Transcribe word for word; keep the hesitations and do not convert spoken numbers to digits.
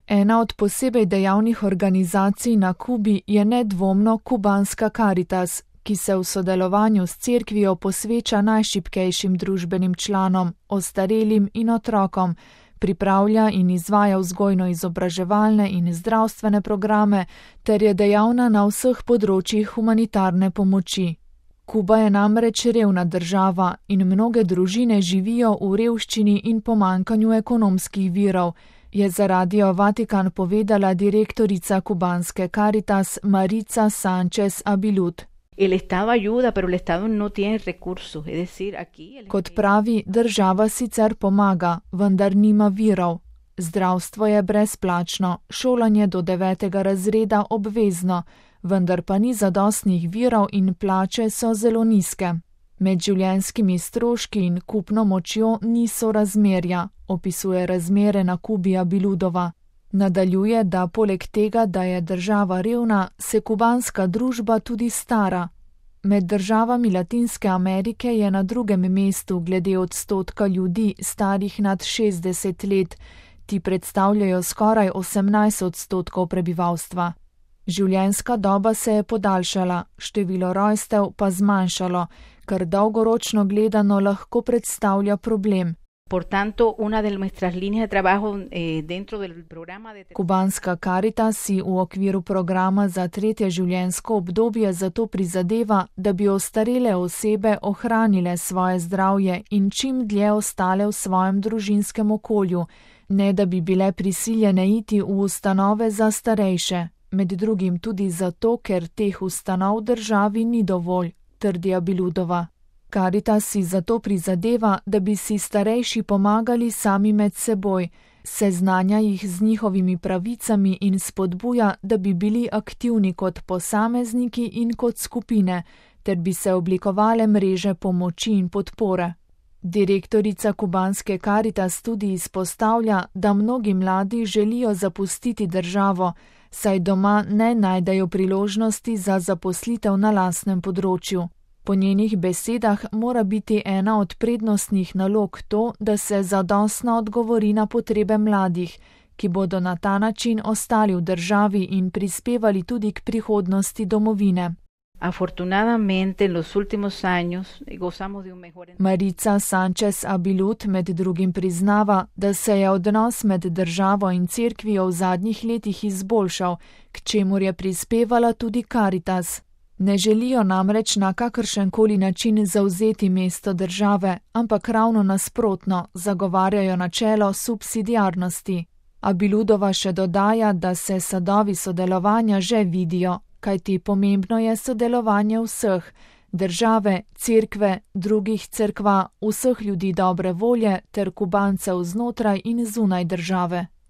Ena od posebej dejavnih organizacij na Kubi je nedvomno kubanska Caritas, ki se v sodelovanju s cerkvijo posveča najšibkejšim družbenim članom, ostarelim in otrokom, pripravlja in izvaja vzgojno-izobraževalne in zdravstvene programe ter je dejavna na vseh področjih humanitarne pomoči. Kuba je namreč revna država in mnoge družine živijo v revščini in pomanjkanju ekonomskih virov, je za Radio Vatikan povedala direktorica kubanske Caritas Maritza Sánchez Abilud. El Estado ayuda, pero el Estado no tiene recursos, es decir, aquí... El... Kot pravi, država sicer pomaga, vendar nima virov. Zdravstvo je brezplačno, šolanje do devetega razreda obvezno, vendar pa ni zadostnih virov in plače so zelo nizke. Med življenjskimi stroški in kupno močjo ni sorazmerja, opisuje razmere na Kubi Abiludova. Nadaljuje, da poleg tega, da je država revna, se kubanska družba tudi stara. Med državami Latinske Amerike je na drugem mestu glede odstotka ljudi starih nad šestdeset let, ti predstavljajo skoraj osemnajst odstotkov prebivalstva. Življenjska doba se je podaljšala, število rojstev pa zmanjšalo, kar dolgoročno gledano lahko predstavlja problem. Por tanto, una de nuestras líneas de trabajo eh, dentro del programa de... Kubanska Caritas si v okviru programa za tretje življenjsko obdobje zato prizadeva, da bi ostarele osebe ohranile svoje zdravje in čim dlje ostale v svojem družinskem okolju, ne da bi bile prisiljene iti v ustanove za starejše, med drugim tudi zato, ker teh ustanov državi ni dovolj, trdi Abiludova. Caritas si zato prizadeva, da bi si starejši pomagali sami med seboj, seznanja jih z njihovimi pravicami in spodbuja, da bi bili aktivni kot posamezniki in kot skupine, ter bi se oblikovale mreže pomoči in podpore. Direktorica kubanske Caritas tudi izpostavlja, da mnogi mladi želijo zapustiti državo, saj doma ne najdejo priložnosti za zaposlitev na lastnem področju. Po njenih besedah mora biti ena od prednostnih nalog to, da se zadostno odgovori na potrebe mladih, ki bodo na ta način ostali v državi in prispevali tudi k prihodnosti domovine. Afortunadamente, en los últimos años gozamos de un mejor... Maritza Sánchez Abilud med drugim priznava, da se je odnos med državo in cerkvijo v zadnjih letih izboljšal, k čemur je prispevala tudi Caritas. Ne želijo namreč na kakršenkoli način zavzeti mesto države, ampak ravno nasprotno zagovarjajo načelo subsidiarnosti. Abiludova še dodaja, da se sadovi sodelovanja že vidijo, kajti pomembno je sodelovanje vseh, države, cerkve, drugih cerkva, vseh ljudi dobre volje ter Kubancev znotraj in zunaj države.